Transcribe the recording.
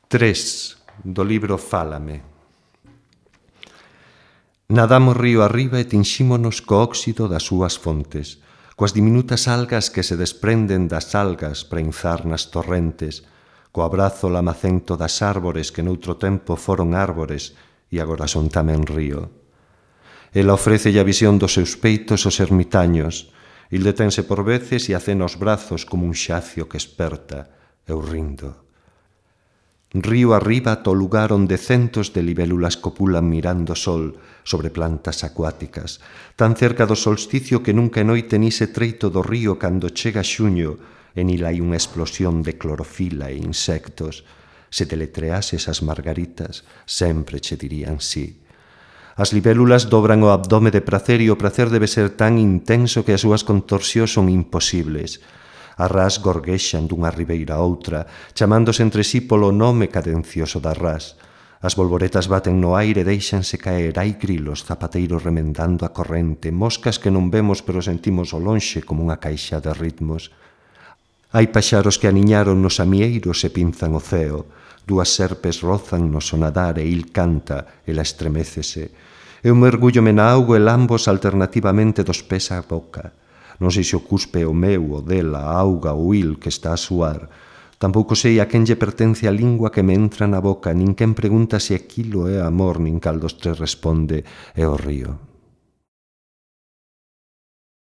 3 do libro Fálame. Nadamos río arriba e tinxímonos co óxido das súas fontes, coas diminutas algas que se desprenden das algas para inzar nas torrentes, co abrazo lamacento das árbores que noutro tempo foron árbores e agora son tamén río. Ela ofrécelle a visión dos seus peitos aos ermitaños, il detense por veces e acena os brazos como un xacio que esperta, eu rindo. Río arriba ata o lugar onde centos de libélulas copulan mirando o sol sobre plantas acuáticas, tan cerca do solsticio que nunca noite nise treito do río cando chega xuño e nil hai unha explosión de clorofila e insectos. Se deletreases as margaritas, sempre che dirían sí. As libélulas dobran o abdome de prazer e o prazer debe ser tan intenso que as súas contorsións son imposibles. As rás gorguexan dunha ribeira a outra, chamándose entre sí polo nome cadencioso das rás. As bolboretas baten no aire e deixanse caer, hai grilos, zapateiros remendando a corrente, moscas que non vemos pero sentimos ao lonxe como unha caixa de ritmos. Hai paxaros que aniñaron nos amieiros e pinzan o ceo. Dúas serpes rozan no sonadar e il canta, ela estremécese. Eu mergúllome na auga e lambos alternativamente dos pés á boca. Non sei se o cuspe o meu, o dela, a auga ou il que está a suar. Tampouco sei a quen lle pertence a lingua que me entra na boca, nin quen pregunta se aquilo é amor, nin cal dos tres responde, é o río.